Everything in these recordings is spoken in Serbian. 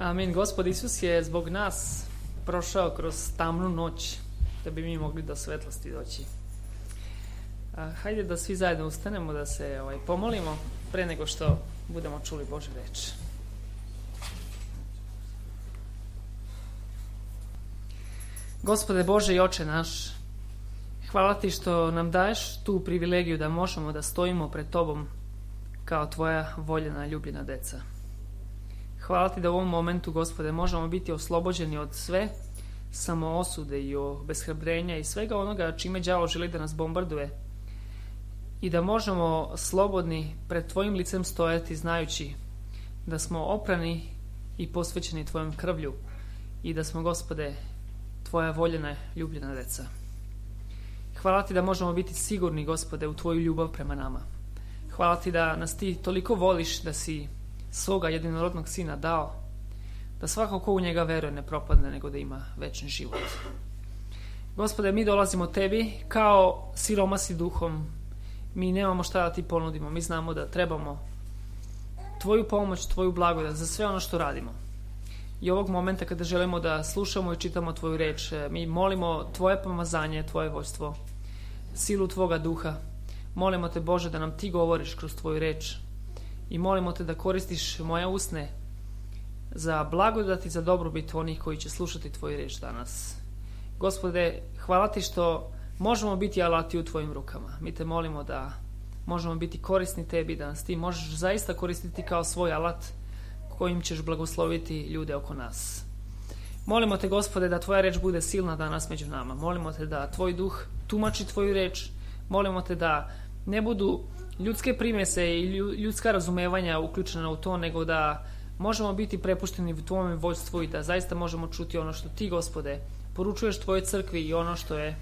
Amin. Gospod Isus je zbog nas prošao kroz tamnu noć da bi mi mogli do svetlosti doći. Hajde da svi zajedno ustanemo, da se pomolimo pre nego što budemo čuli Božju reč. Gospode Bože i Oče naš, hvala Ti što nam daješ tu privilegiju da možemo da stojimo pred Tobom kao Tvoja voljena, ljubljena deca. Hvala Ti da u ovom momentu, Gospode, možemo biti oslobođeni od sve samoosude i obeshrabrenja i svega onoga čime đavo želi da nas bombarduje i da možemo slobodni pred Tvojim licem stojati znajući da smo oprani i posvećeni Tvojom krvlju i da smo, Gospode, Tvoja voljena, ljubljena deca. Hvala Ti da možemo biti sigurni, Gospode, u Tvoju ljubav prema nama. Hvala Ti da nas Ti toliko voliš da si svoga jedinorodnog Sina dao, da svako ko u njega veruje ne propadne, nego da ima večni život. Gospode, mi dolazimo Tebi kao siromasi duhom. Mi nemamo šta da Ti ponudimo. Mi znamo da trebamo Tvoju pomoć, Tvoju blagodat za sve ono što radimo. I ovog momenta kada želimo da slušamo i čitamo Tvoju reč, mi molimo Tvoje pomazanje, Tvoje vođstvo, silu Tvoga duha. Molimo Te, Bože, da nam Ti govoriš kroz Tvoju reč i molimo Te da koristiš moje usne za blagodat i za dobrobit onih koji će slušati Tvoju reč danas. Gospode, hvala Ti što možemo biti alati u Tvojim rukama. Mi Te molimo da možemo biti korisni Tebi, da nas Ti možeš zaista koristiti kao svoj alat kojim ćeš blagosloviti ljude oko nas. Molimo Te, Gospode, da Tvoja reč bude silna danas među nama. Molimo Te da Tvoj duh tumači Tvoju reč. Molimo Te da ne budu ljudske primese i ljudska razumevanja uključena u to, nego da možemo biti prepušteni u Tvojom vođstvu i da zaista možemo čuti ono što Ti, Gospode, poručuješ Tvojoj crkvi i ono što je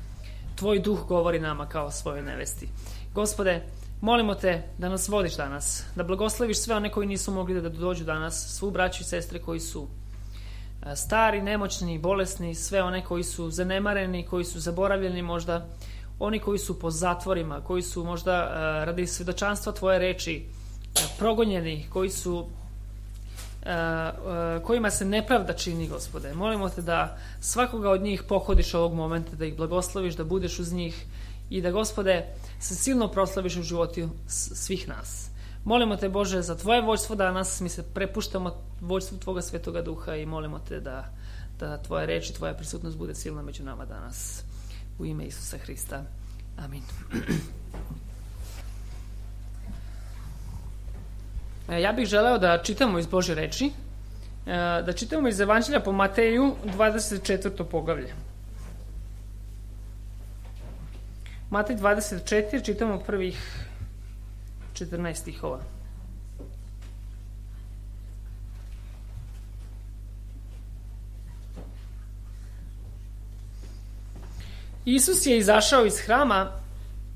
Tvoj duh govori nama kao svojoj nevesti. Gospode, molimo Te da nas vodiš danas, da blagosloviš sve one koji nisu mogli da dođu danas, svu braću i sestre koji su stari, nemoćni, bolesni, sve one koji su zanemareni, koji su zaboravljeni možda, oni koji su po zatvorima, koji su možda radi svedočanstva Tvoje reči progonjeni, kojima se nepravda čini, Gospode. Molimo Te da svakoga od njih pohodiš ovog momenta, da ih blagosloviš, da budeš uz njih i da, Gospode, se silno proslaviš u životu svih nas. Molimo Te, Bože, za Tvoje vođstvo danas. Mi se prepuštamo vođstvu Tvoga Svetoga Duha i molimo Te da Tvoja reč i Tvoja prisutnost bude silna među nama danas. U ime Isusa Hrista. Amin. Ja bih želeo da čitamo iz Božje reči, da čitamo iz Evanđelja po Mateju 24. poglavlje. Matej 24, čitamo prvih 14 stihova. Isus je izašao iz hrama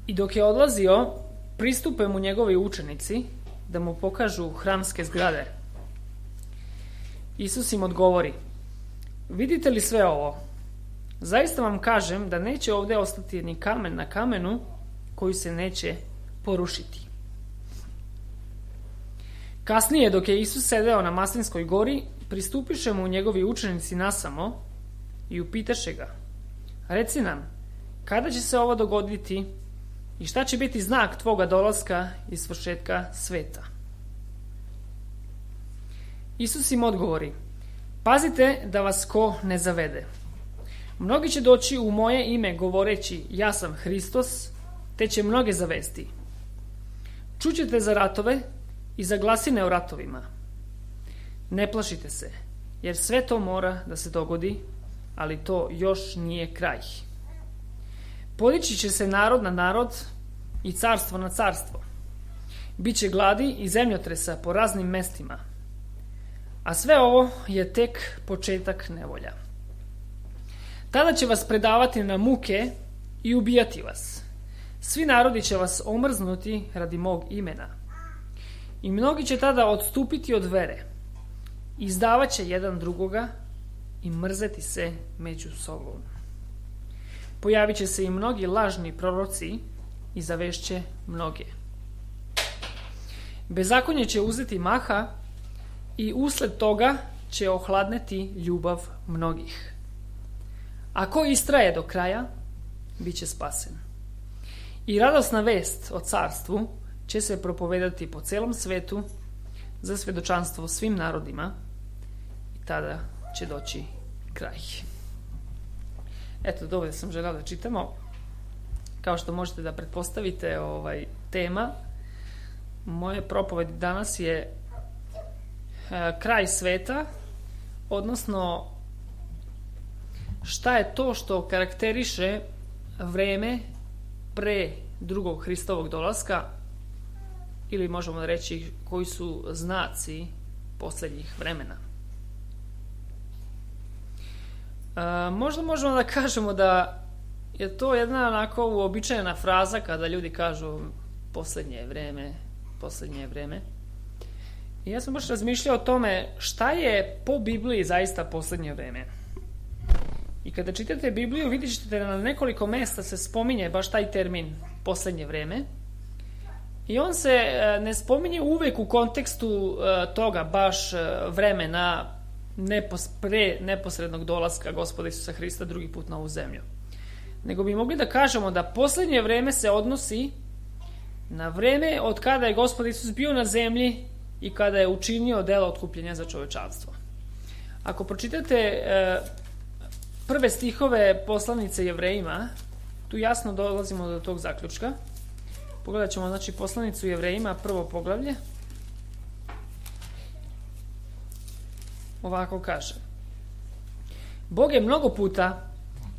i dok je odlazio, pristupe mu njegovi učenici da mu pokažu hramske zgrade. Isus im odgovori: vidite li sve ovo? Zaista vam kažem da neće ovdje ostati ni kamen na kamenu koji se neće porušiti. Kasnije, dok je Isus sedeo na Maslinskoj gori, pristupiše mu njegovi učenici nasamo i upitaše ga: reci nam, kada će se ovo dogoditi i šta će biti znak Tvoga dolaska i svršetka sveta? Isus im odgovori: pazite da vas ko ne zavede. Mnogi će doći u moje ime govoreći ja sam Hristos, te će mnoge zavesti. Čućete za ratove i za glasine o ratovima. Ne plašite se, jer sve to mora da se dogodi, ali to još nije kraj. Podići će se narod na narod i carstvo na carstvo. Biće gladi i zemljotresa po raznim mestima. A sve ovo je tek početak nevolja. Tada će vas predavati na muke i ubijati vas. Svi narodi će vas omrznuti radi mog imena. I mnogi će tada odstupiti od vere. Izdavat će jedan drugoga i mrzeti se među sobom. Pojavit će se i mnogi lažni proroci i zavešće mnoge. Bezakonje će uzeti maha i usled toga će ohladneti ljubav mnogih. A ko istraje do kraja, bit će spasen. I radosna vest o carstvu će se propovedati po celom svetu za svedočanstvo svim narodima i tada će doći kraj. Eto, dovoljno sam željela da čitamo. Kao što možete da pretpostavite, tema moje propovedi danas je kraj sveta, odnosno šta je to što karakteriše vreme pre drugog Hristovog dolaska, ili možemo reći koji su znaci posljednjih vremena. Možda možemo da kažemo da je to jedna onako uobičajena fraza kada ljudi kažu posljednje vreme. I ja sam baš razmišljao o tome šta je po Bibliji zaista posljednje vreme. I kada čitate Bibliju vidjet ćete da na nekoliko mesta se spominje baš taj termin posljednje vreme. I on se ne spominje uvek u kontekstu toga baš vremena pre neposrednog dolaska Gospoda Isusa Hrista drugi put na ovu zemlju. Nego bi mogli da kažemo da posljednje vreme se odnosi na vreme od kada je Gospod Isus bio na zemlji i kada je učinio delo otkupljenja za čovečanstvo. Ako pročitate prve stihove poslanice Jevrejima, tu jasno dolazimo do tog zaključka. Pogledat ćemo, znači, poslanicu Jevrejima, prvo poglavlje. Ovako kaže: Bog je mnogo puta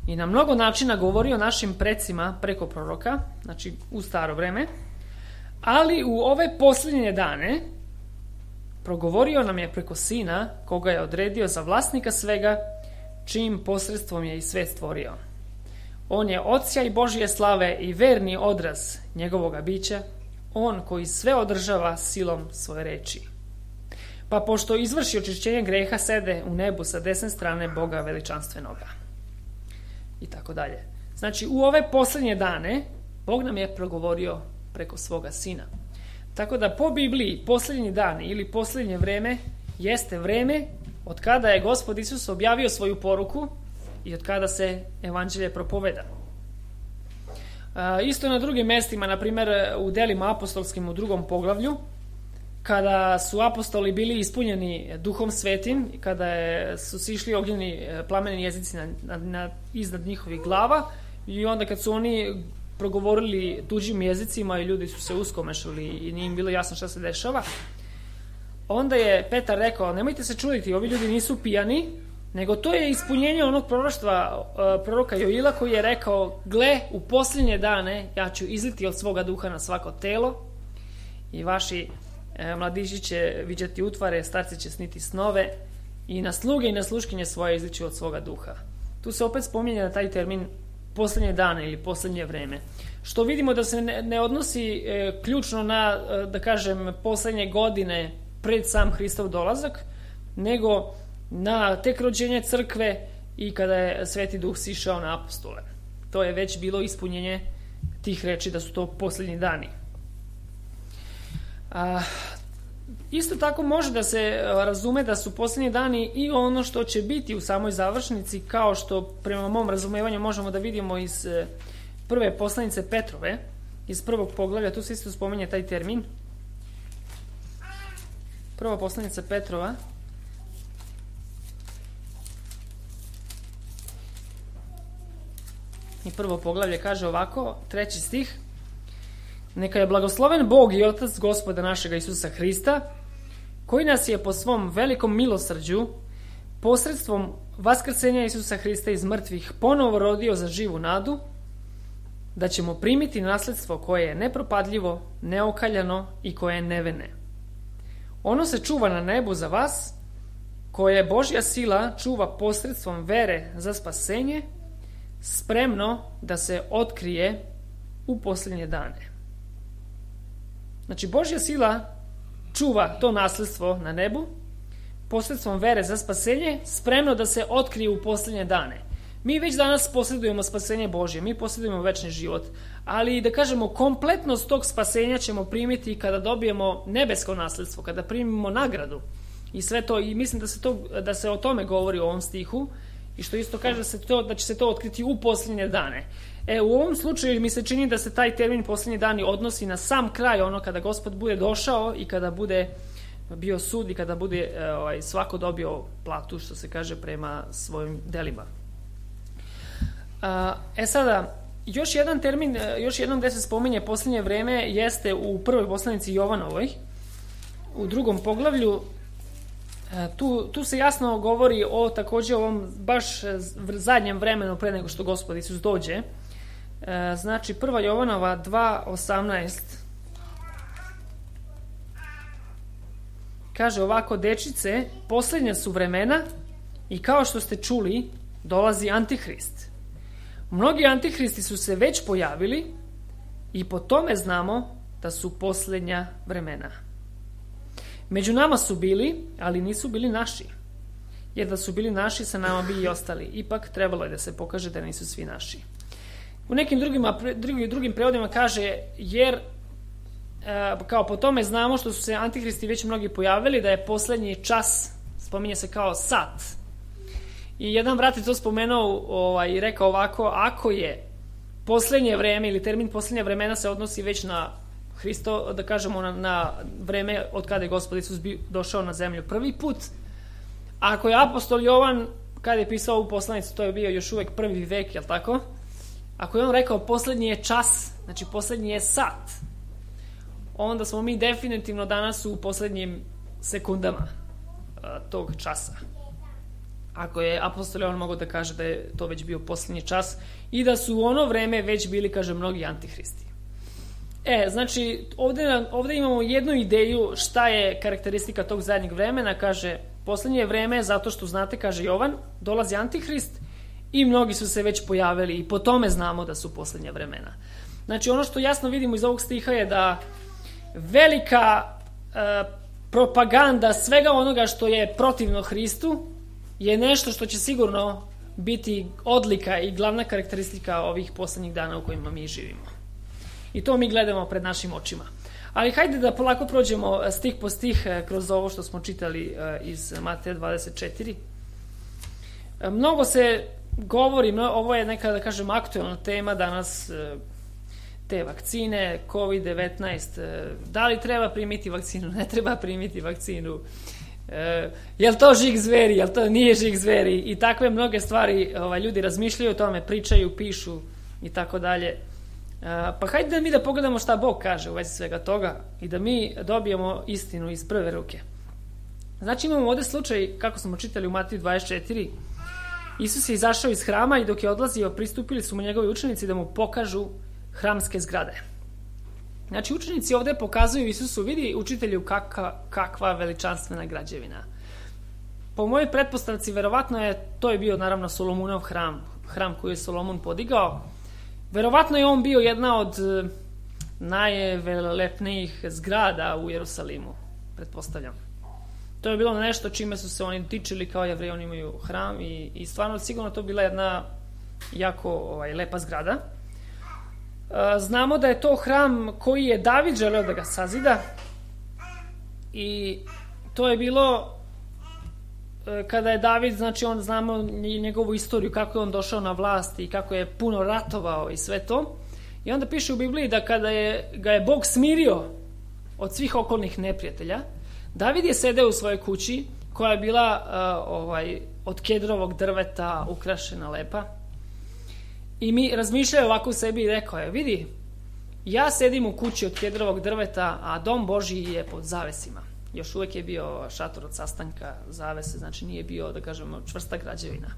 i na mnogo načina govorio našim precima preko proroka, znači u staro vreme, ali u ove posljednje dane progovorio nam je preko Sina, koga je odredio za vlasnika svega, čijim posredstvom je i svet stvorio. On je odsjaj Božje slave i verni odraz njegovoga bića, on koji sve održava silom svoje reči. Pa pošto izvrši očišćenje greha, sede u nebu sa desne strane Boga veličanstvenoga. I tako dalje. Znači, u ove posljednje dane Bog nam je progovorio preko svoga Sina. Tako da po Bibliji posljednji dan ili posljednje vreme jeste vreme od kada je Gospod Isus objavio svoju poruku i od kada se evanđelje propoveda. Isto na drugim mestima, na primjer u delima apostolskim u 2. poglavlju, kada su apostoli bili ispunjeni Duhom Svetim, kada su sišli ognjeni plameni jezici iznad njihovih glava, i onda kad su oni progovorili tuđim jezicima i ljudi su se uskomešali i nije im bilo jasno šta se dešava, onda je Petar rekao: nemojte se čuditi, ovi ljudi nisu pijani, nego to je ispunjenje onog proroštva proroka Joila, koji je rekao: gle, u posljednje dane ja ću izliti od svoga duha na svako telo i vaši mladići će viđati utvare, starci će sniti snove i na sluge i na sluškinje svoje izliću od svoga duha. Tu se opet spominje taj termin posljednje dane ili posljednje vreme, što vidimo da se ne odnosi ključno na, da kažem, posljednje godine pred sam Hristov dolazak, nego na tek rođenje crkve i kada je Sveti Duh sišao na apostole. To je već bilo ispunjenje tih reči da su to posljednji dani. Isto tako može da se razume da su posljednji dani i ono što će biti u samoj završnici, kao što prema mom razumevanju možemo da vidimo iz prve poslanice Petrove, iz 1. poglavlja, tu se isto spominje taj termin. Prva poslanica Petrova, i 1. poglavlje kaže ovako, 3. stih: Neka je blagosloven Bog i Otac Gospoda našega Isusa Hrista, koji nas je po svom velikom milosrđu posredstvom vaskrsenja Isusa Hrista iz mrtvih ponovo rodio za živu nadu, da ćemo primiti nasledstvo koje je nepropadljivo, neokaljano i koje je nevene. Ono se čuva na nebu za vas, koje Božja sila čuva posredstvom vere za spasenje, spremno da se otkrije u posljednje dane. Znači, Božja sila čuva to nasledstvo na nebu posredstvom vere za spasenje, spremno da se otkrije u posljednje dane. Mi već danas posjedujemo spasenje Božje, mi posjedujemo večni život, ali da kažemo, kompletnost tog spasenja ćemo primiti kada dobijemo nebesko nasledstvo, kada primimo nagradu. i sve to, i mislim da se o tome govori u ovom stihu, i što isto kaže da će se to otkriti u posljednje dane. U ovom slučaju mi se čini da se taj termin posljednji dani odnosi na sam kraj, ono kada Gospod bude došao i kada bude bio sud i kada bude svako dobio platu, što se kaže, prema svojim delima. Sada, još jedan termin, još jednom gde se spominje posljednje vreme jeste u prvoj poslanici Jovanovoj, u 2. poglavlju. Tu se jasno govori o takođe ovom baš zadnjem vremenu pre nego što Gospod Isus dođe. Znači 1. Jovanova 2:18 kaže ovako: dečice, posljednja su vremena i kao što ste čuli, dolazi Antihrist. Mnogi antihristi su se već pojavili i po tome znamo da su posljednja vremena. Među nama su bili, ali nisu bili naši. Jer da su bili naši, sa nama bi i ostali. Ipak trebalo je da se pokaže da nisu svi naši. U nekim drugim prevodima kaže, jer kao po tome znamo što su se antihristi već mnogi pojavili, da je posljednji čas, spominje se kao sat. I jedan brat je to spomenuo i rekao ovako: ako je posljednje vreme ili termin posljednja vremena se odnosi već na Hristo, da kažemo na vreme od kada je Gospod Isus došao na zemlju prvi put. Ako je apostol Jovan, kada je pisao ovu poslanicu, to je bio još uvek prvi vek, jel tako? Ako je on rekao posljednji je čas, znači posljednji je sat, onda smo mi definitivno danas u posljednjim sekundama tog časa. Ako je apostol Jovan mogao da kaže da je to već bio posljednji čas i da su u ono vreme već bili, kaže, mnogi antihristi. Znači, ovdje imamo jednu ideju šta je karakteristika tog zadnjeg vremena. Kaže, posljednje je vreme zato što, znate, kaže Jovan, dolazi Antihrist i mnogi su se već pojavili i po tome znamo da su posljednja vremena. Znači, ono što jasno vidimo iz ovog stiha je da velika propaganda svega onoga što je protivno Hristu je nešto što će sigurno biti odlika i glavna karakteristika ovih posljednjih dana u kojima mi živimo. I to mi gledamo pred našim očima. Ali hajde da polako prođemo stih po stih kroz ovo što smo čitali iz Mateja 24. Mnogo se govori, ovo je neka, da kažem, aktualna tema danas, te vakcine, COVID-19, da li treba primiti vakcinu, ne treba primiti vakcinu, je li to žig zveri, je li to nije žig zveri, i takve mnoge stvari ljudi razmišljaju o tome, pričaju, pišu i tako dalje. Pa hajde da mi da pogledamo šta Bog kaže u vezi svega toga i da mi dobijemo istinu iz prve ruke. Znači, imamo ovdje slučaj, kako smo čitali u Mateju 24, Isus je izašao iz hrama i dok je odlazio, pristupili su mu njegovi učenici da mu pokažu hramske zgrade. Znači, učenici ovdje pokazuju Isusu: vidi, učitelju, kakva veličanstvena građevina. Po mojoj pretpostavci, verovatno to je bio naravno Solomunov hram koji je Solomon podigao. Verovatno je on bio jedna od najvelepnijih zgrada u Jerusalimu, pretpostavljam. To je bilo nešto čime su se oni tičili, kao Jevreji, oni imaju hram i stvarno sigurno to bila jedna jako lepa zgrada. Znamo da je to hram koji je David želeo da ga sazida i to je bilo kada je David, znači on znamo njegovu istoriju, kako je on došao na vlast i kako je puno ratovao i sve to. I onda piše u Bibliji da kada ga je Bog smirio od svih okolnih neprijatelja, David je sedeo u svojoj kući koja je bila od kedrovog drveta, ukrašena, lepa. I mi razmišljaju ovako u sebi i rekao je: vidi, ja sedim u kući od kedrovog drveta, a dom Božji je pod zavesima. Još uvijek je bio šator od sastanka, zavese, znači nije bio, da kažemo, čvrsta građevina.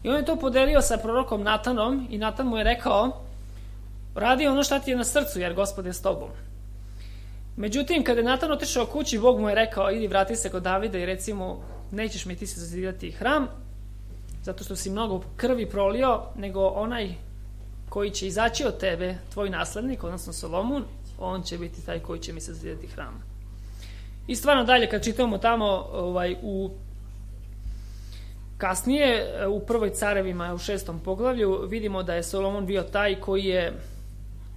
I on je to podelio sa prorokom Natanom i Natan mu je rekao: radi ono šta ti je na srcu, jer Gospod je s tobom. Međutim, kada je Natan otišao kući, Bog mu je rekao: idi, vrati se kod Davida i reci mu: nećeš mi ti se zazidati hram, zato što si mnogo krvi prolio, nego onaj koji će izaći od tebe, tvoj naslednik, odnosno Solomon, on će biti taj koji će mi se zazidati hram. I stvarno dalje, kad čitamo tamo kasnije, u prvoj Carevima, u 6. poglavlju, vidimo da je Solomon bio taj koji je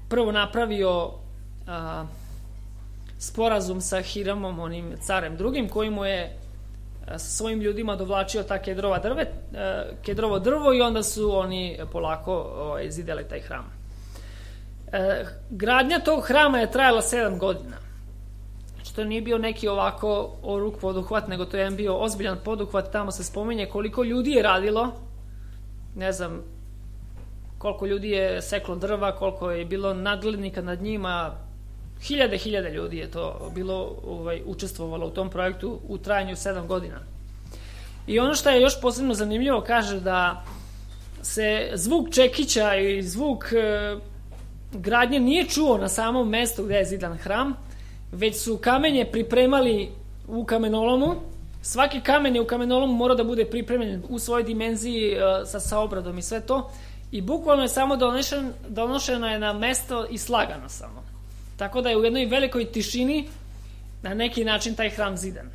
prvo napravio sporazum sa Hiramom, onim carem drugim, koji mu je sa svojim ljudima dovlačio ta kedrovo drvo i onda su oni polako zidali taj hram. Gradnja tog hrama je trajala 7 godina. Znači, to nije bio neki ovako oruk poduhvat, nego to je bio ozbiljan poduhvat. Tamo se spominje koliko ljudi je radilo, ne znam koliko ljudi je seklo drva, koliko je bilo nadglednika nad njima, hiljade ljudi je to bilo učestvovalo u tom projektu u trajanju 7 godina. I ono što je još posebno zanimljivo, kaže da se zvuk čekića i zvuk gradnje nije čuo na samom mestu gde je zidan hram, već su kamenje pripremali u kamenolomu. Svaki kamen je u kamenolomu mora da bude pripremljen u svojoj dimenziji sa obradom i sve to. I bukvalno je samo donošeno je na mesto i slagano samo. Tako da je u jednoj velikoj tišini na neki način taj hram zidan.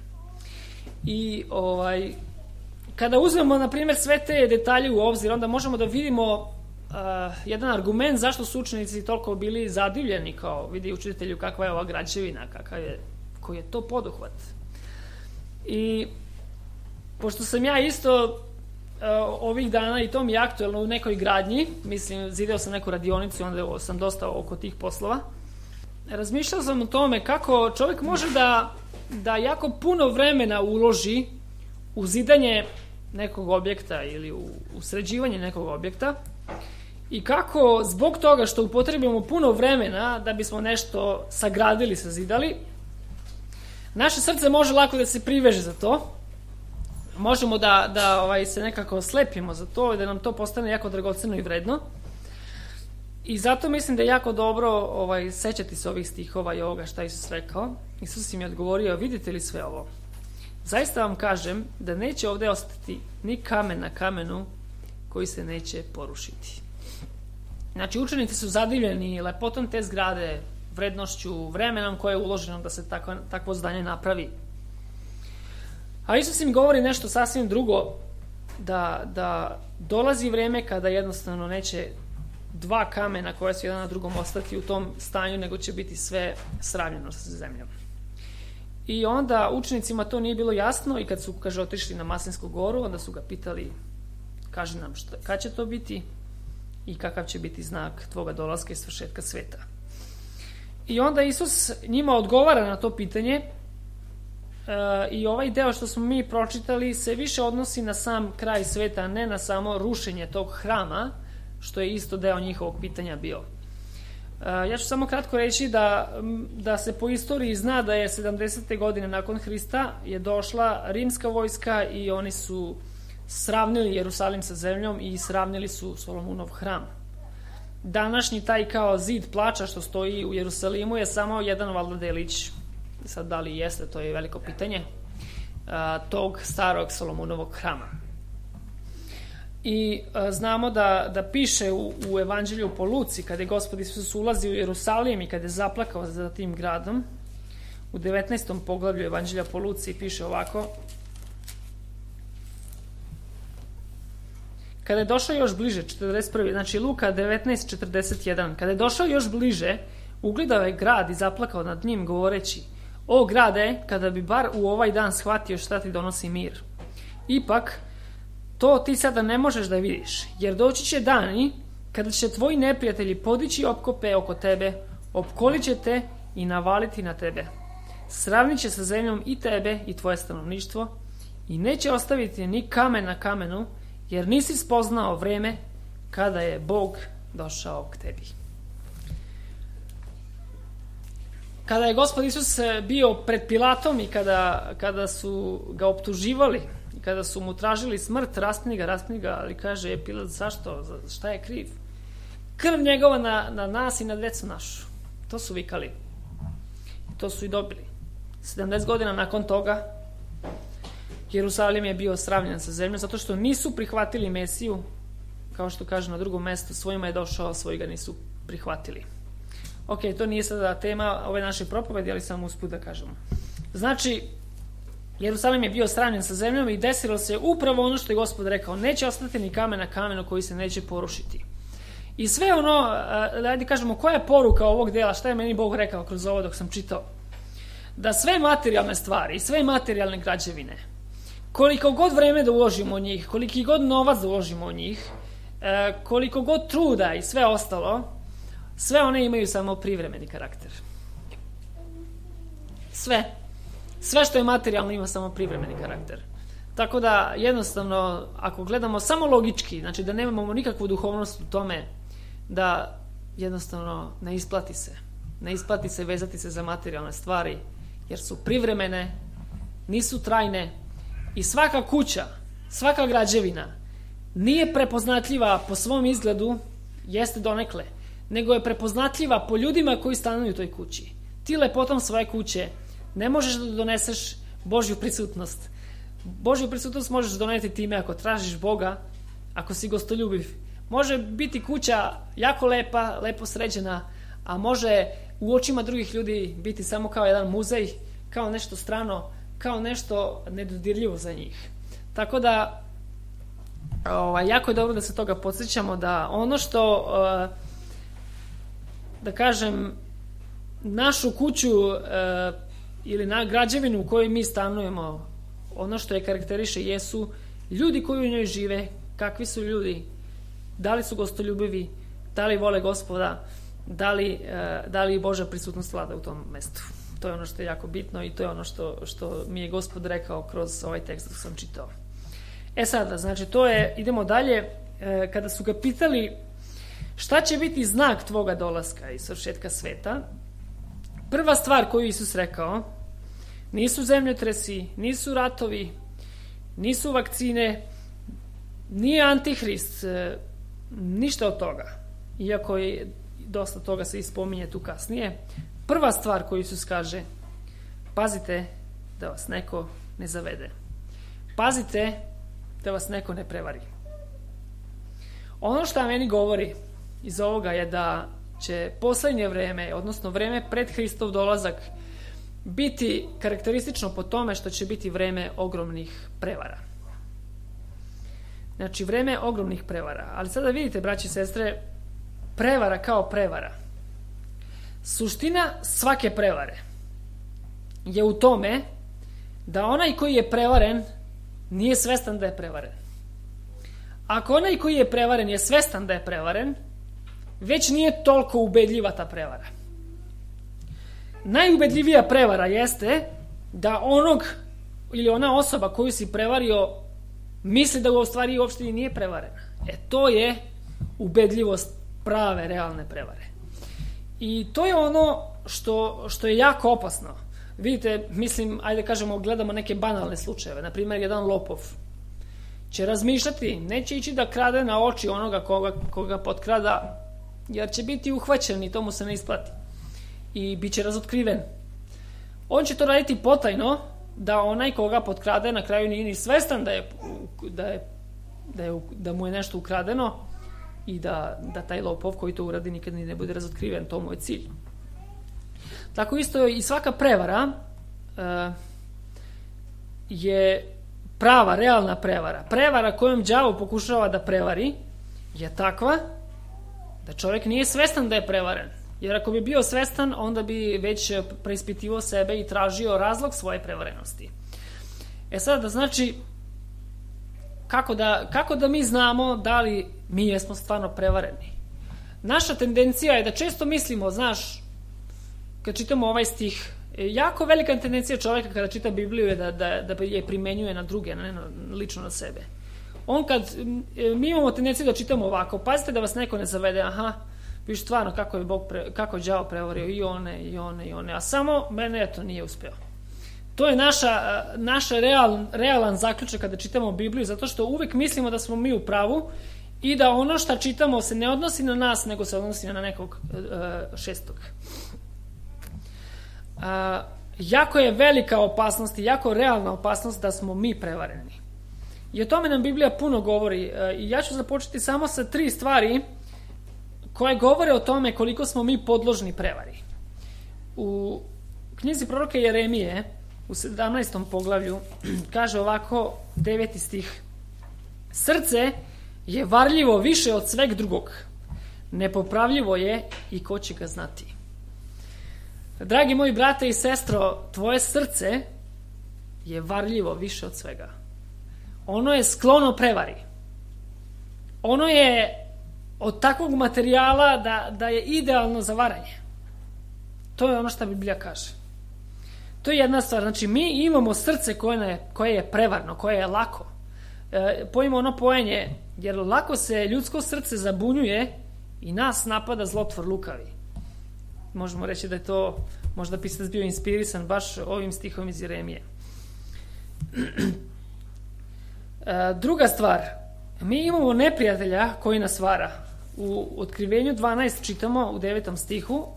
I kada uzmemo, na primjer, sve te detalje u obzir, onda možemo da vidimo jedan argument zašto su učenici toliko bili zadivljeni, kao vidi učitelju kakva je ova građevina, koji je to poduhvat. I pošto sam ja isto ovih dana, i to mi je aktuelno, u nekoj gradnji, mislim, zideo sam neku radionicu i onda sam dosta oko tih poslova, razmišljao sam o tome kako čovjek može da jako puno vremena uloži u zidanje nekog objekta ili u sređivanje nekog objekta i kako zbog toga što upotrebimo puno vremena da bismo nešto sagradili, sazidali, naše srce može lako da se priveže za to. Možemo da se nekako slepimo za to i da nam to postane jako dragoceno i vredno. I zato mislim da je jako dobro sećati se ovih stihova i ovoga šta Isus rekao. Isus im je odgovorio, vidite li sve ovo? Zaista vam kažem da neće ovde ostati ni kamen na kamenu koji se neće porušiti. Znači, učenici su zadivljeni lepotom te zgrade, vrednošću, vremenom koje je uloženo da se takvo zdanje napravi. A Isus im govori nešto sasvim drugo, da dolazi vreme kada jednostavno neće 2 kamena koje su jedan na drugom ostati u tom stanju, nego će biti sve sravnjeno sa zemljom. I onda učenicima to nije bilo jasno i kad su, kaže, otišli na Maslinsku goru, onda su ga pitali, kaži nam kad će to biti i kakav će biti znak tvoga dolaska i svršetka sveta. I onda Isus njima odgovara na to pitanje i ovaj deo što smo mi pročitali se više odnosi na sam kraj sveta, a ne na samo rušenje tog hrama, što je isto deo njihovog pitanja bio. Ja ću samo kratko reći da se po istoriji zna da je 70. godine nakon Hrista je došla rimska vojska i oni su sravnili Jerusalim sa zemljom i sravnili su Solomunov hram. Današnji taj kao zid plača što stoji u Jerusalimu je samo jedan valjda delić, sad da li jeste, to je veliko pitanje, tog starog Solomunovog hrama. I znamo da piše u Evanđelju po Luci, kada je Gospod Isus ulazi u Jerusalim i kada je zaplakao za tim gradom, u 19. poglavlju Evanđelja po Luci piše ovako: kada je došao još bliže, 41. znači Luka 19:41, kada je došao još bliže, ugledao je grad i zaplakao nad njim, govoreći: o grade, kada bi bar u ovaj dan shvatio šta ti donosi mir. Ipak, to ti sada ne možeš da vidiš, jer doći će dani kada će tvoji neprijatelji podići opkope oko tebe, opkolit će te i navaliti na tebe. Sravnit će sa zemljom i tebe i tvoje stanovništvo i neće ostaviti ni kamen na kamenu, jer nisi spoznao vreme kada je Bog došao k tebi. Kada je Gospod Isus bio pred Pilatom i kada su ga optuživali i kada su mu tražili smrt, raspni ga, ali kaže Pilat, zašto? Šta je kriv? Krv njegova na nas i na decu našu. To su vikali. I to su i dobili. 70 godina nakon toga Jerusalim je bio sravnjen sa zemljom zato što nisu prihvatili Mesiju, kao što kaže na drugom mestu, svojima je došao, svoji ga nisu prihvatili. Ok, to nije sada tema ove naše propovedi, ali samo usput da kažemo. Znači, Jerusalim je bio sravnjen sa zemljom i desilo se upravo ono što je Gospod rekao, neće ostati ni kamen na kamenu koji se neće porušiti. I sve ono, ajde kažemo, koja je poruka ovog dela, šta je meni Bog rekao kroz ovo dok sam čitao? Da sve materijalne stvari i sve materijalne građevine koliko god vreme da uložimo u njih, koliki god novac da uložimo u njih, koliko god truda i sve ostalo, sve one imaju samo privremeni karakter. Sve što je materijalno ima samo privremeni karakter. Tako da, jednostavno, ako gledamo samo logički, znači da nemamo nikakvu duhovnost u tome, da jednostavno ne isplati se vezati se za materijalne stvari, jer su privremene, nisu trajne i svaka kuća, svaka građevina nije prepoznatljiva po svom izgledu, jeste donekle, nego je prepoznatljiva po ljudima koji stanuju u toj kući. Ti lepotom svoje kuće ne možeš da doneseš Božju prisutnost. Božju prisutnost možeš doneti time ako tražiš Boga, ako si gostoljubiv. Može biti kuća jako lepa, lepo sređena, a može u očima drugih ljudi biti samo kao jedan muzej, kao nešto strano, kao nešto nedodirljivo za njih. Tako da jako je dobro da se toga podsjećamo, da ono što da kažem našu kuću ili na građevinu u kojoj mi stanujemo, ono što je karakteriše jesu ljudi koji u njoj žive, kakvi su ljudi, da li su gostoljubivi, da li vole Gospoda, da li Božja prisutnost vlada u tom mestu. To je ono što je jako bitno i to je ono što mi je Gospod rekao kroz ovaj tekst koji sam čitao. Sada, znači idemo dalje. Kada su ga pitali šta će biti znak tvoga dolaska i svršetka sveta, prva stvar koju Isus rekao, nisu zemljotresi, nisu ratovi, nisu vakcine, nije Antihrist, ništa od toga. Iako je dosta toga se ispominje tu kasnije. Prva stvar koju Isus kaže, pazite da vas neko ne zavede. Pazite da vas neko ne prevari. Ono što meni govori iz ovoga je da će poslednje vreme, odnosno vreme pred Hristov dolazak, biti karakteristično po tome što će biti vreme ogromnih prevara. Znači, vreme ogromnih prevara. Ali sada vidite, braći i sestre, prevara kao prevara. Suština svake prevare je u tome da onaj koji je prevaren nije svestan da je prevaren. Ako onaj koji je prevaren je svestan da je prevaren, već nije toliko ubedljiva ta prevara. Najubedljivija prevara jeste da onog ili ona osoba koju si prevario misli da u stvari uopšte nije prevarena. To je ubedljivost prave, realne prevare. I to je ono što je jako opasno. Vidite, mislim, ajde kažemo, gledamo neke banalne slučajeve. Naprimjer, jedan lopov će razmišljati, neće ići da krade na oči onoga koga potkrada, jer će biti uhvaćen i to mu se ne isplati. I bit će razotkriven. On će to raditi potajno, da onaj koga potkrade na kraju nije ni svestan da mu je nešto ukradeno i da taj lopov koji to uradi nikad ni ne bude razotkriven. To mu je cilj. Tako isto i svaka prevara je prava, realna prevara. Prevara kojom đavo pokušava da prevari je takva da čovjek nije svestan da je prevaren. Jer ako bi bio svestan, onda bi već preispitivao sebe i tražio razlog svoje prevarenosti. Sada, znači, kako da mi znamo da li mi jesmo stvarno prevareni? Naša tendencija je da često mislimo, znaš, kad čitamo ovaj stih, jako velika tendencija čovjeka kada čita Bibliju je da je primenjuje na druge, ne lično na sebe. Mi imamo tendenciju da čitamo ovako, pazite da vas neko ne zavede, viš stvarno kako je đavo prevario i one, a samo mene nije uspeo. To je naš realan zaključak kada čitamo Bibliju, zato što uvek mislimo da smo mi u pravu i da ono što čitamo se ne odnosi na nas, nego se odnosi na nekog šestog. Jako je velika opasnost i jako realna opasnost da smo mi prevareni. I o tome nam Biblija puno govori. I ja ću započeti samo sa 3 stvari koje govore o tome koliko smo mi podložni prevari. U knjizi proroka Jeremije, u 17. poglavlju, kaže ovako, 9. stih: Srce je varljivo više od sveg drugog, nepopravljivo je i ko će ga znati. Dragi moji brate i sestro, tvoje srce je varljivo više od svega. ono je sklono prevari. Ono je od takvog materijala da je idealno za varanje. To je ono što Biblija kaže. To je jedna stvar. Znači, mi imamo srce koje je prevarno, koje je lako. Pojmo ono pojenje, jer lako se ljudsko srce zabunjuje i nas napada zlotvor lukavi. Možemo reći da je to možda pisac bio inspirisan baš ovim stihom iz Jeremije. Druga stvar, mi imamo neprijatelja koji nas vara. U Otkrivenju 12 čitamo u 9. stihu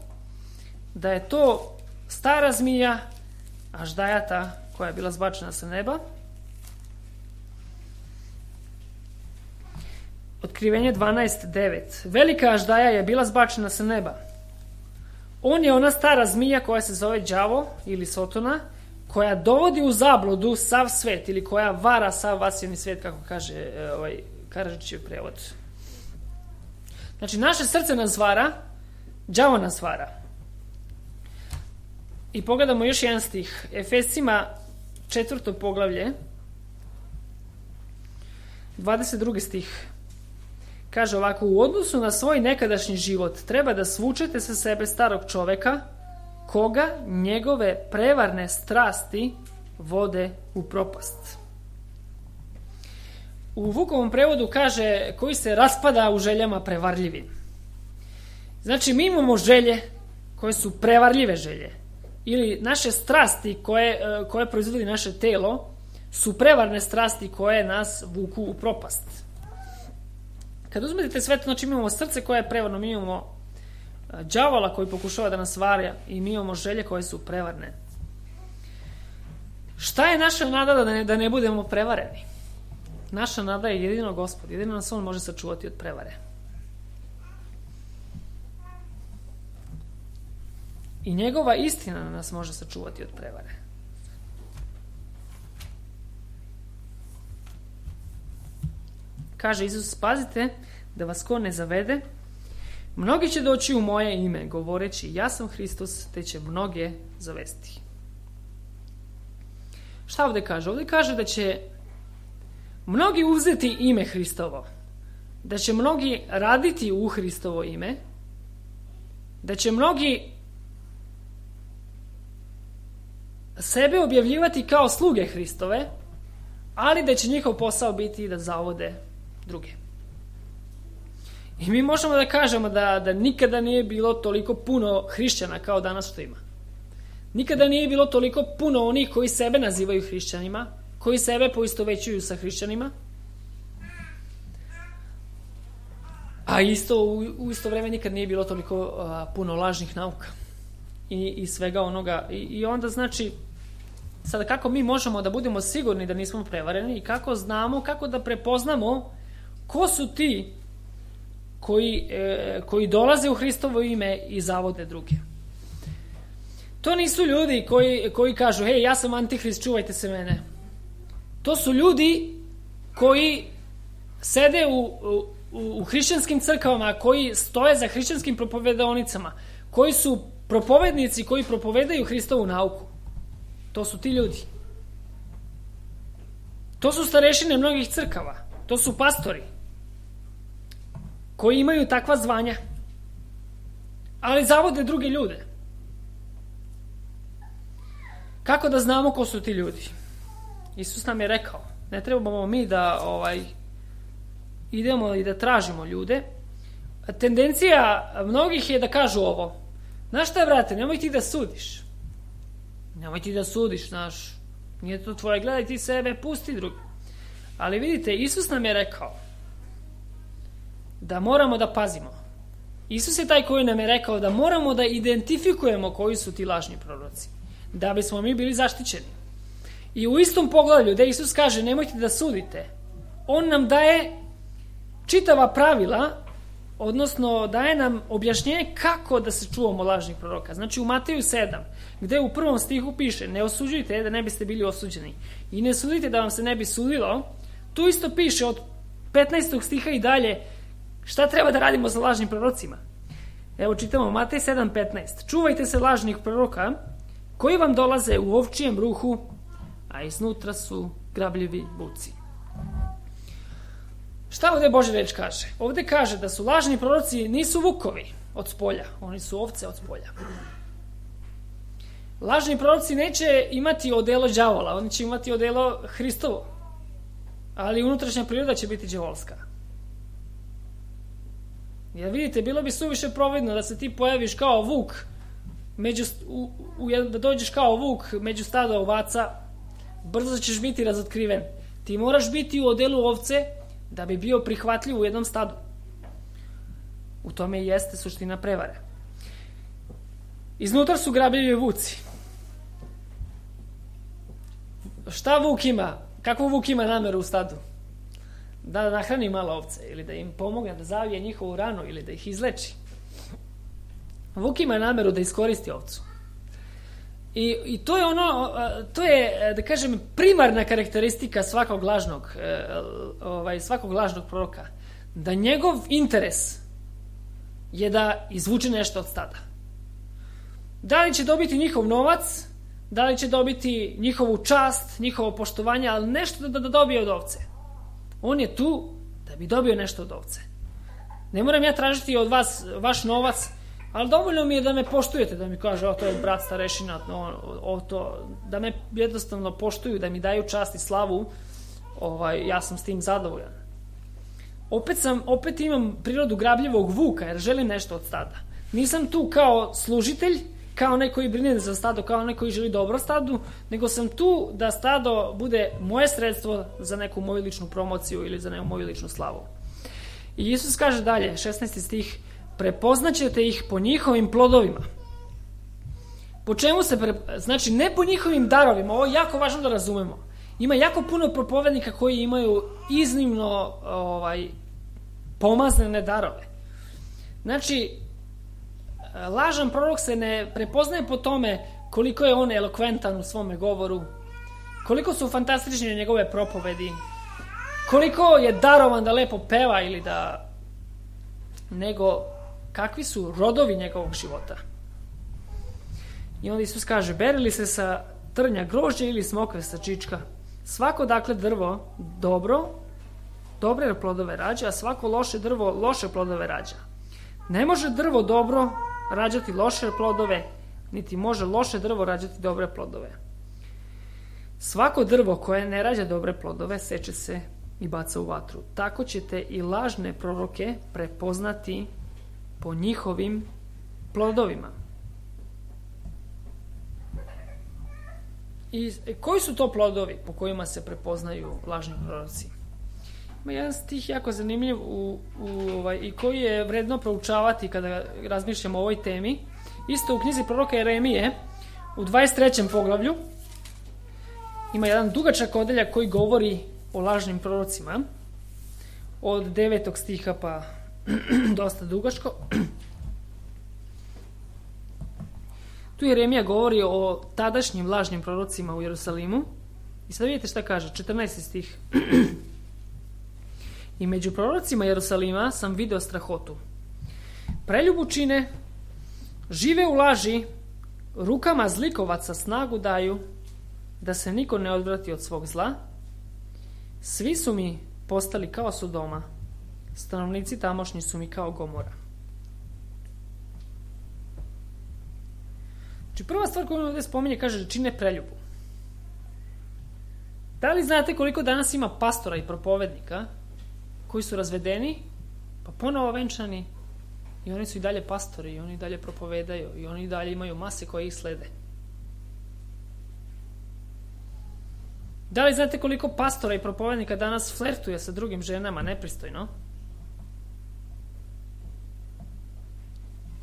da je to stara zmija, aždajata, koja je bila zbačena sa neba. Otkrivenje 12.9. Velika aždaja je bila zbačena sa neba. On je ona stara zmija koja se zove đavo ili Sotona, koja dovodi u zabludu sav svet ili koja vara sav vasjeni svet, kako kaže Karadžićev prevod. Znači, naše srce nas vara, đavo nas vara. I pogledamo još jedan stih. Efescima 4. poglavlje, 22. stih. Kaže ovako: u odnosu na svoj nekadašnji život treba da svučete sa sebe starog čoveka, koga njegove prevarne strasti vode u propast. U Vukovom prevodu kaže koji se raspada u željama prevarljivim. Znači, mi imamo želje koje su prevarljive želje. Ili naše strasti koje proizvodi naše telo su prevarne strasti koje nas vuku u propast. Kad uzmete sve to, znači imamo srce koje je prevarno, mi imamo đavola koji pokušava da nas varja i mi imamo želje koje su prevarne. Šta je naša nada da ne budemo prevareni? Naša nada je jedino Gospod, jedino nas On može sačuvati od prevare. I njegova istina nas može sačuvati od prevare. Kaže Isus: pazite da vas ko ne zavede. Mnogi će doći u moje ime, govoreći ja sam Hristos, te će mnoge zavesti. Šta ovdje kaže? Ovdje kaže da će mnogi uzeti ime Hristovo, da će mnogi raditi u Hristovo ime, da će mnogi sebe objavljivati kao sluge Hristove, ali da će njihov posao biti da zavode druge. I mi možemo da kažemo da nikada nije bilo toliko puno hrišćana kao danas što ima. Nikada nije bilo toliko puno onih koji sebe nazivaju hrišćanima, koji sebe poistovećuju sa hrišćanima, a u isto vreme nikad nije bilo toliko puno lažnih nauka i svega onoga. I onda znači, sada kako mi možemo da budemo sigurni da nismo prevareni i kako znamo, kako da prepoznamo ko su ti koji dolaze u Hristovo ime i zavode druge. To nisu ljudi koji kažu: hej, ja sam antihrist, čuvajte se mene. To su ljudi koji sede u hrišćanskim crkvama, koji stoje za hrišćanskim propovedaonicama, koji su propovednici koji propovedaju Hristovu nauku. To su ti ljudi. To su starešine mnogih crkava. To su pastori koji imaju takva zvanja, ali zavode druge ljude. Kako da znamo ko su ti ljudi? Isus nam je rekao, ne trebamo mi da idemo i da tražimo ljude. Tendencija mnogih je da kažu ovo: znaš šta, brate, nemoj ti da sudiš. Nemoj ti da sudiš, znaš, nije to tvoje, gledaj ti sebe, pusti drugi. Ali vidite, Isus nam je rekao da moramo da pazimo. Isus je taj koji nam je rekao da moramo da identifikujemo koji su ti lažni proroci, da bismo mi bili zaštićeni. I u istom poglavlju gde Isus kaže nemojte da sudite, On nam daje čitava pravila, odnosno daje nam objašnjenje kako da se čuvamo lažnih proroka. Znači u Mateju 7, gde u 1. stihu piše: ne osuđujte da ne biste bili osuđeni i ne sudite da vam se ne bi sudilo, tu isto piše od 15. stiha i dalje šta treba da radimo sa lažnim prorocima. Evo čitamo Matej 7.15: čuvajte se lažnih proroka koji vam dolaze u ovčijem ruhu, a iznutra su grabljivi vuci. Šta ovdje Božja reč kaže? Ovdje kaže da su lažni proroci nisu vukovi od spolja, oni su ovce od spolja. Lažni proroci neće imati odelo đavola, oni će imati odelo Hristovo, ali unutrašnja priroda će biti đavolska. Jer vidite, bilo bi suviše providno da se ti pojaviš kao vuk, da dođeš kao vuk među stado ovaca, brzo ćeš biti razotkriven. Ti moraš biti u odelu ovce da bi bio prihvatljiv u jednom stadu. U tome i jeste suština prevare. Iznutar su grabljivi vuci. Šta vuk ima? Kakvu vuk ima nameru u stadu? Da nahrani malo ovce ili da im pomogne da zavije njihovu ranu ili da ih izleči. Vuk ima nameru da iskoristi ovcu. I to je to je, da kažem, primarna karakteristika svakog lažnog proroka. Da njegov interes je da izvuče nešto od stada. Da li će dobiti njihov novac, da li će dobiti njihovu čast, njihovo poštovanje, ali nešto da dobije od ovce. On je tu da bi dobio nešto od ovce. Ne moram ja tražiti od vas vaš novac, ali dovoljno mi je da me poštujete, da mi kaže, to je brat starešina, da me jednostavno poštuju, da mi daju čast i slavu, ja sam s tim zadovoljan. Opet imam prirodu grabljivog vuka, jer želim nešto od stada. Nisam tu kao služitelj, kao neko koji brine za stado, kao neko koji želi dobro stadu, nego sam tu da stado bude moje sredstvo za neku moju ličnu promociju ili za neku moju ličnu slavu. I Isus kaže dalje, 16. stih, prepoznaćete ih po njihovim plodovima. Po čemu se znači ne po njihovim darovima, ovo je jako važno da razumemo. Ima jako puno propovednika koji imaju iznimno pomazane darove. Znači, lažan prorok se ne prepoznaje po tome koliko je on elokventan u svome govoru, koliko su fantastične njegove propovedi, koliko je darovan da lepo peva ili da, nego kakvi su rodovi njegovog života. I onda Isus kaže, beri li se sa trnja grožđe ili smokve sa čička? Svako dakle drvo dobre plodove rađa, a svako loše drvo loše plodove rađa. Ne može drvo dobro rađati loše plodove, niti može loše drvo rađati dobre plodove. Svako drvo koje ne rađa dobre plodove seče se i baca u vatru. Tako ćete i lažne proroke prepoznati po njihovim plodovima. I koji su to plodovi po kojima se prepoznaju lažni proroci? Ima jedan stih jako zanimljiv i koji je vredno proučavati kada razmišljamo o ovoj temi. Isto u knjizi proroka Jeremije u 23. poglavlju ima jedan dugačak odeljak koji govori o lažnim prorocima od 9. stiha pa dosta dugačko. Tu Jeremija govori o tadašnjim lažnim prorocima u Jerusalimu i sad vidite šta kaže, 14. stih. I među prorocima Jerusalima sam video strahotu. Preljubu čine, žive u laži, rukama zlikovaca snagu daju, da se niko ne odvrati od svog zla. Svi su mi postali kao Sodoma, stanovnici tamošnji su mi kao Gomora. Znači prva stvar koju ovdje spominje kaže čine preljubu. Da li znate koliko danas ima pastora i propovednika koji su razvedeni, pa ponovo venčani i oni su i dalje pastori i oni i dalje propovedaju i oni i dalje imaju mase koje ih slede? Da li znate koliko pastora i propovednika danas flertuje sa drugim ženama nepristojno?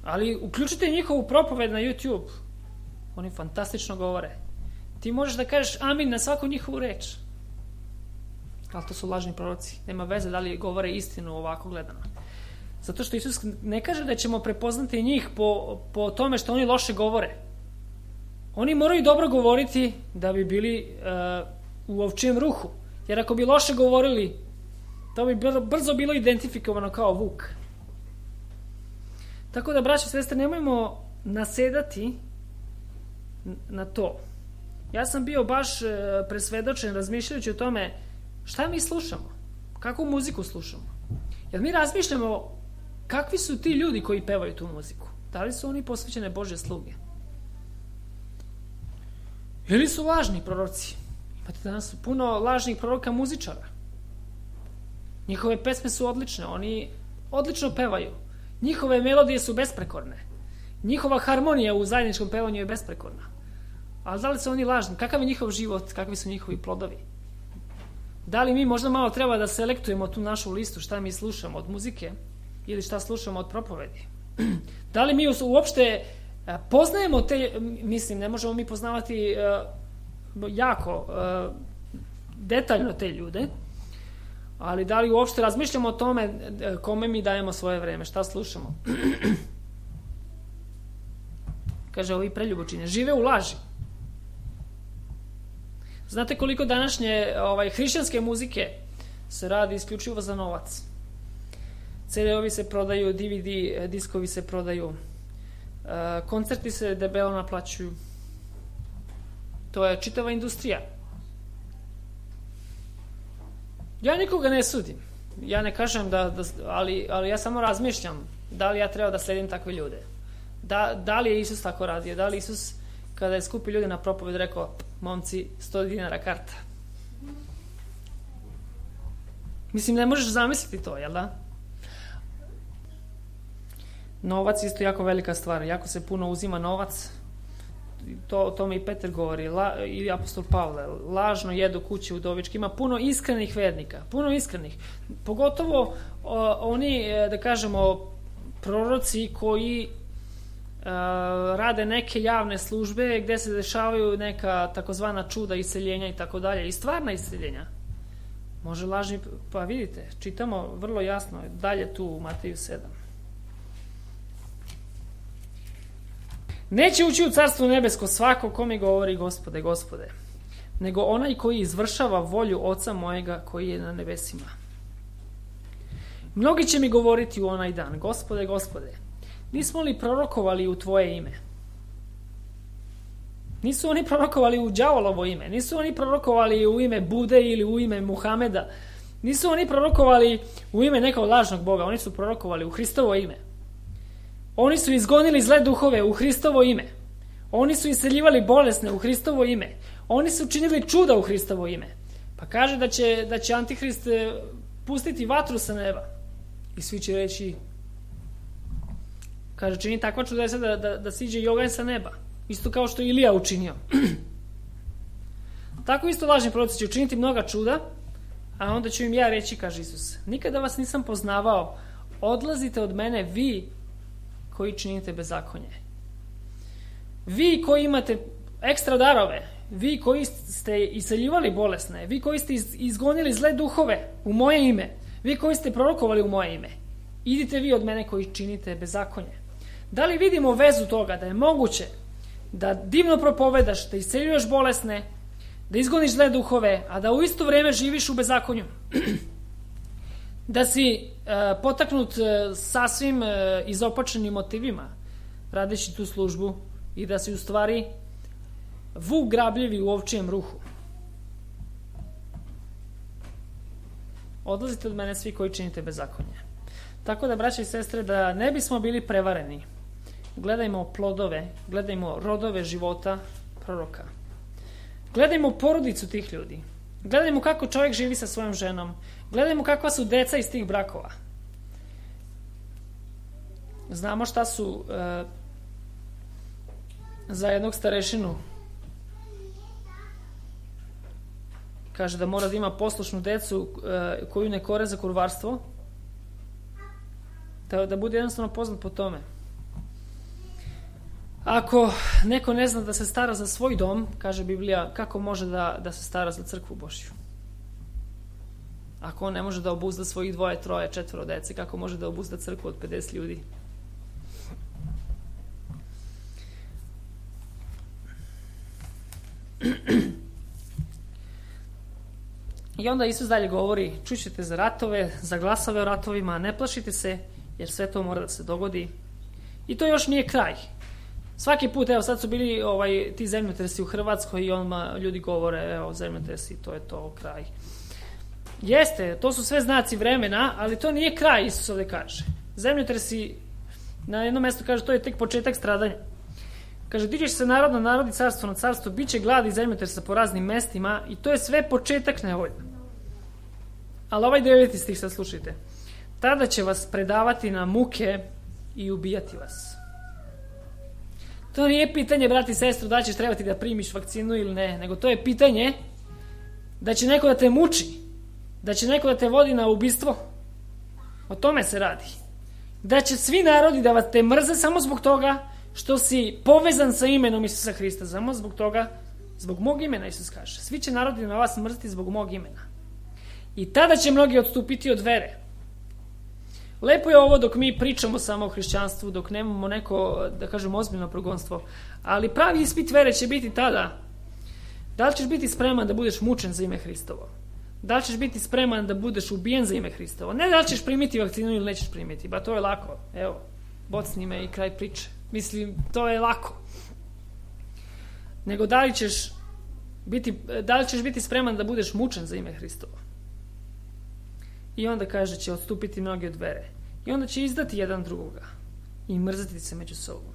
Ali uključite njihovu propoved na YouTube. Oni fantastično govore. Ti možeš da kažeš amin na svaku njihovu reč. Ali to su lažni proroci. Nema veze da li govore istinu ovako gledano. Zato što Isus ne kaže da ćemo prepoznati njih po tome što oni loše govore. Oni moraju dobro govoriti da bi bili u ovčijem ruhu. Jer ako bi loše govorili, to bi brzo bilo identifikovano kao vuk. Tako da, braće i sestre, nemojmo nasedati na to. Ja sam bio baš presvedočen razmišljajući o tome šta mi slušamo, Kakvu muziku slušamo? Jer mi razmišljamo kakvi su ti ljudi koji pevaju tu muziku. Da li su oni posvećene Božje sluge? Ili su lažni proroci? Imate danas puno lažnih proroka muzičara. Njihove pesme su odlične, oni odlično pevaju. Njihove melodije su besprekorne. Njihova harmonija u zajedničkom pevanju je besprekorna. Ali da li su oni lažni? Kakav je njihov život? Kakvi su njihovi plodovi? Da li mi možda malo treba da selektujemo tu našu listu, šta mi slušamo od muzike ili šta slušamo od propovedi? Da li mi uopšte poznajemo te, mislim, ne možemo mi poznavati jako detaljno te ljude, ali da li uopšte razmišljamo o tome kome mi dajemo svoje vreme, šta slušamo? Kaže, ovi preljubočine žive u laži. Znate koliko današnje hrišćanske muzike se radi isključivo za novac? CD-ovi se prodaju, DVD diskovi se prodaju, koncerti se debelo naplaćuju. To je čitava industrija. Ja nikoga ne sudim. Ja ne kažem ali ja samo razmišljam da li ja treba da sledim takve ljude. Da li je Isus tako radio? Da li Isus kada je skupio ljude na propoved rekao, momci, 100 dinara karta? Mislim, ne možeš zamisliti to, jel da? Novac je isto jako velika stvar. Jako se puno uzima novac. O tome i Petar govori, i apostol Pavle. Lažno jedu kuće udovičke. Ima puno iskrenih vernika. Puno iskrenih. Pogotovo oni, da kažemo, proroci koji rade neke javne službe gde se dešavaju neka takozvana čuda, isceljenja i tako dalje. I stvarna isceljenja. Može lažni, pa vidite, čitamo vrlo jasno dalje tu u Mateju 7. Neće ući u carstvo nebesko svako ko mi govori Gospode, Gospode, nego onaj koji izvršava volju Oca mojega koji je na nebesima. Mnogi će mi govoriti u onaj dan, Gospode, Gospode, nismo li prorokovali u tvoje ime? Nisu oni prorokovali u đavolovo ime, nisu oni prorokovali u ime Bude ili u ime Muhameda, nisu oni prorokovali u ime nekog lažnog Boga, oni su prorokovali u Hristovo ime. Oni su izgonili zle duhove u Hristovo ime. Oni su iseljivali bolesne u Hristovo ime. Oni su činili čuda u Hristovo ime. Pa kaže da će Antihrist pustiti vatru sa neba. I svi će reći, kaže, čini takva čudesa da siđe i oganj sa neba. Isto kao što je Ilija učinio. Tako isto lažni proroci će učiniti mnoga čuda, a onda ću im ja reći, kaže Isus, nikada vas nisam poznavao, odlazite od mene vi koji činite bezakonje. Vi koji imate ekstra darove, vi koji ste iseljivali bolesne, vi koji ste izgonili zle duhove u moje ime, vi koji ste prorokovali u moje ime, idite vi od mene koji činite bezakonje. Da li vidimo vezu toga da je moguće da divno propovedaš, da isceljuješ bolesne, da izgoniš zle duhove, a da u isto vrijeme živiš u bezakonju? Da si potaknut sasvim izopačenim motivima radeći tu službu i da si u stvari vuk grabljivi u ovčijem ruhu. Odlazite od mene svi koji činite bezakonje. Tako da, braće i sestre, da ne bismo bili prevareni, gledajmo plodove, gledajmo rodove života proroka. Gledajmo porodicu tih ljudi. Gledajmo kako čovjek živi sa svojom ženom. Gledajmo kakva su deca iz tih brakova. Znamo šta su za jednog starešinu. Kaže da mora da ima poslušnu decu koju ne kore za kurvarstvo. Da bude jednostavno poznat po tome. Ako neko ne zna da se stara za svoj dom, kaže Biblija, kako može da se stara za crkvu Božju? Ako on ne može da obuzda svojih 2, 3, 4 dece, kako može da obuzda crkvu od 50 ljudi? I onda Isus dalje govori, čućete za ratove, za glasove o ratovima, ne plašite se, jer sve to mora da se dogodi. I to još nije kraj. Svaki put, evo sad su bili ti zemljotresi u Hrvatskoj i onda ljudi govore, evo zemljotresi, to je to, kraj. Jeste, to su sve znaci vremena, ali to nije kraj, Isus ovdje kaže. Zemljotresi, na jednom mjestu kaže, to je tek početak stradanja. Kaže, dižeš se narod na narod i carstvo na carstvo, bit će glad i zemljotresa po raznim mestima i to je sve početak nevolja. Ali ovaj 9. stih sad slušajte. Tada će vas predavati na muke i ubijati vas. To nije pitanje, brati i sestro, da ćeš trebati da primiš vakcinu ili ne, nego to je pitanje da će neko da te muči, da će neko da te vodi na ubistvo. O tome se radi. Da će svi narodi da vas te mrze samo zbog toga što si povezan sa imenom Isusa Hrista, samo zbog toga, zbog mog imena, Isus kaže. Svi će narodi na vas mrziti zbog mog imena. I tada će mnogi odstupiti od vere. Lepo je ovo dok mi pričamo samo o hrišćanstvu, dok nemamo neko, da kažem, ozbiljno progonstvo. Ali pravi ispit vere će biti tada. Da li ćeš biti spreman da budeš mučen za ime Hristovo? Da li ćeš biti spreman da budeš ubijen za ime Hristovo? Ne da li ćeš primiti vakcinu ili nećeš primiti. Ba to je lako. Evo, bocni me i kraj priče. Mislim, to je lako. Nego da li ćeš biti spreman da budeš mučen za ime Hristovo? I onda kaže će odstupiti mnogi od vere. I onda će izdati jedan drugoga. I mrziti se među sobom.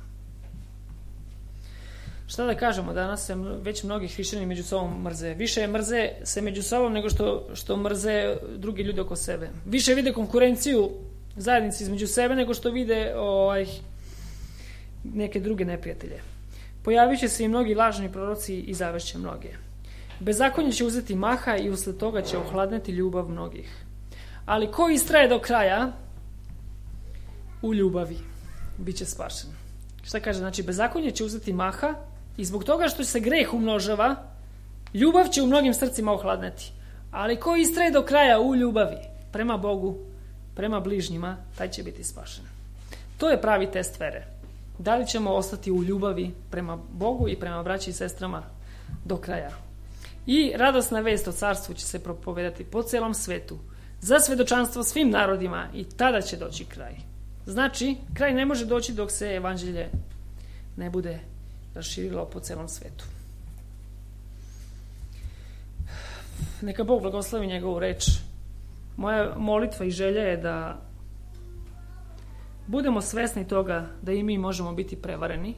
Šta da kažemo, danas se već mnogi hrišćani među sobom mrze. Više mrze se među sobom nego što mrze drugi ljudi oko sebe. Više vide konkurenciju zajednici između sebe nego što vide neke druge neprijatelje. Pojavit će se i mnogi lažni proroci i zavešće mnoge. Bezakonje će uzeti maha i usled toga će ohladneti ljubav mnogih. Ali ko istraje do kraja u ljubavi, bit će spašen. Šta kaže? Znači, bezakonje će uzeti maha i zbog toga što se greh umnožava, ljubav će u mnogim srcima ohladneti. Ali ko istraje do kraja u ljubavi, prema Bogu, prema bližnjima, taj će biti spašen. To je pravi test vere. Da li ćemo ostati u ljubavi prema Bogu i prema braći i sestrama do kraja. I radosna vest o carstvu će se propovedati po celom svetu, za svedočanstvo svim narodima i tada će doći kraj. Znači, kraj ne može doći dok se evanđelje ne bude raširilo po celom svetu. Neka Bog blagoslovi njegovu reč. Moja molitva i želja je da budemo svesni toga da i mi možemo biti prevareni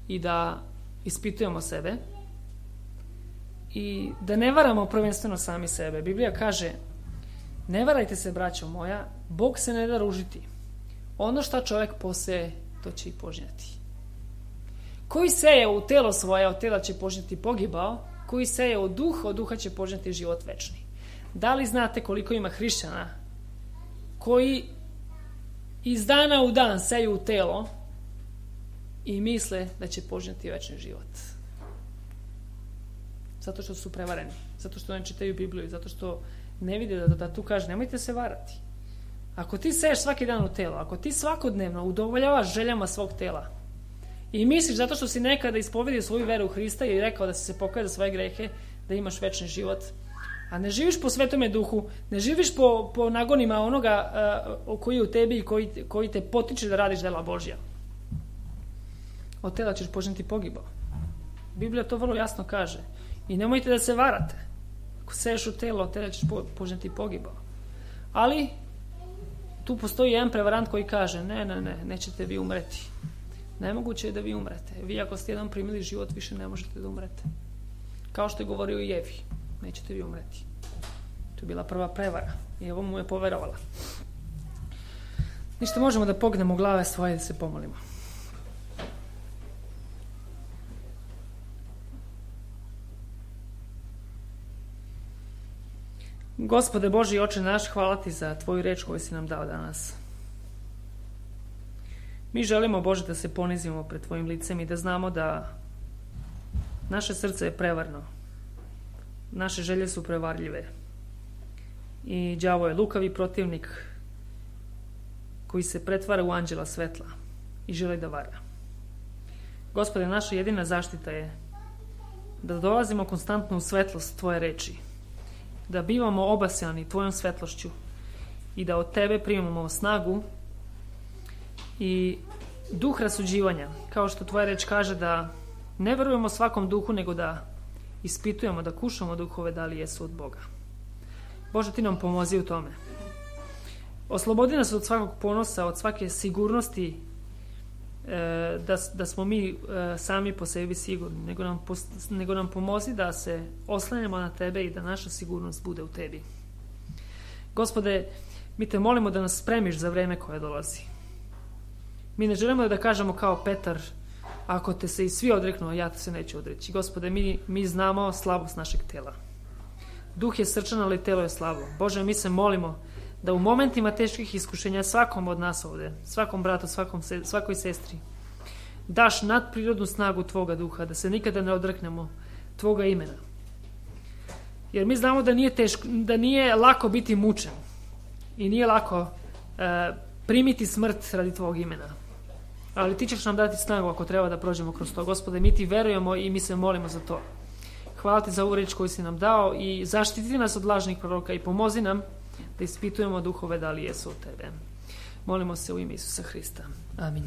i da ispitujemo sebe i da ne varamo prvenstveno sami sebe. Biblija kaže: ne varajte se, braćo moja, Bog se ne da ružiti. Ono što čovjek poseje, to će i požnjeti. Koji seje u telo svoje, od tela će požnjeti pogibao, koji seje u duh, od duha će požnjeti život večni. Da li znate koliko ima hrišćana koji iz dana u dan seju u telo i misle da će požnjeti večni život? Zato što su prevareni, zato što ne čitaju Bibliju, zato što ne vide da tu kaže nemojte se varati. Ako ti seješ svaki dan u telo, ako ti svakodnevno udovoljavaš željama svog tela i misliš zato što si nekada ispovedio svoju veru u Hrista i rekao da si se pokajao za svoje grehe, da imaš večni život, a ne živiš po Svetome Duhu, ne živiš po nagonima onoga koji je u tebi i koji te potiče da radiš dela Božja, od tela ćeš požnjeti pogibao. Biblija to vrlo jasno kaže. I nemojte da se varate. Ako seješ u telo, od tela ćeš požnjeti pogibao. Ali tu postoji jedan prevarant koji kaže nećete vi umreti. Nemoguće je da vi umrete. Vi ako ste jedan primili život, više ne možete da umrete. Kao što je govorio i Evi. Nećete vi umreti. To je bila prva prevara. I evo mu je poverovala. Ništa, možemo da pognemo glave svoje da se pomolimo. Gospode Boži i Oče naš, hvala ti za tvoju reč koju si nam dao danas. Mi želimo, Bože, da se ponizimo pred tvojim licem i da znamo da naše srce je prevarno. Naše želje su prevarljive. I đavo je lukavi protivnik koji se pretvara u anđela svetla i želi da vara. Gospode, naša jedina zaštita je da dolazimo konstantno u svetlost tvoje reči, da bivamo obasjani tvojom svetlošću i da od tebe primamo snagu i duh rasuđivanja, kao što tvoja reč kaže da ne verujemo svakom duhu, nego da ispitujemo, da kušamo duhove da li jesu od Boga. Bože, ti nam pomozi u tome. Oslobodi nas od svakog ponosa, od svake sigurnosti da smo mi sami po sebi sigurni, nego nam pomozi da se oslanjamo na tebe i da naša sigurnost bude u tebi. Gospode, mi te molimo da nas spremiš za vreme koje dolazi. Mi ne želimo da kažemo kao Petar, ako te se i svi odreknu, ja te se neću odreći. Gospode, mi znamo slabost našeg tela. Duh je srčan, ali telo je slabo. Bože, mi se molimo da u momentima teških iskušenja svakom od nas ovde, svakom bratu, svakoj sestri, daš nadprirodnu snagu tvoga duha, da se nikada ne odreknemo tvoga imena. Jer mi znamo da nije lako biti mučen i nije lako primiti smrt radi tvog imena. Ali ti ćeš nam dati snagu ako treba da prođemo kroz to. Gospode, mi ti verujemo i mi se molimo za to. Hvala ti za ovu reč koju si nam dao i zaštiti nas od lažnih proroka i pomozi nam da ispitujemo duhove da li jesu od tebe. Molimo se u ime Isusa Hrista. Amin.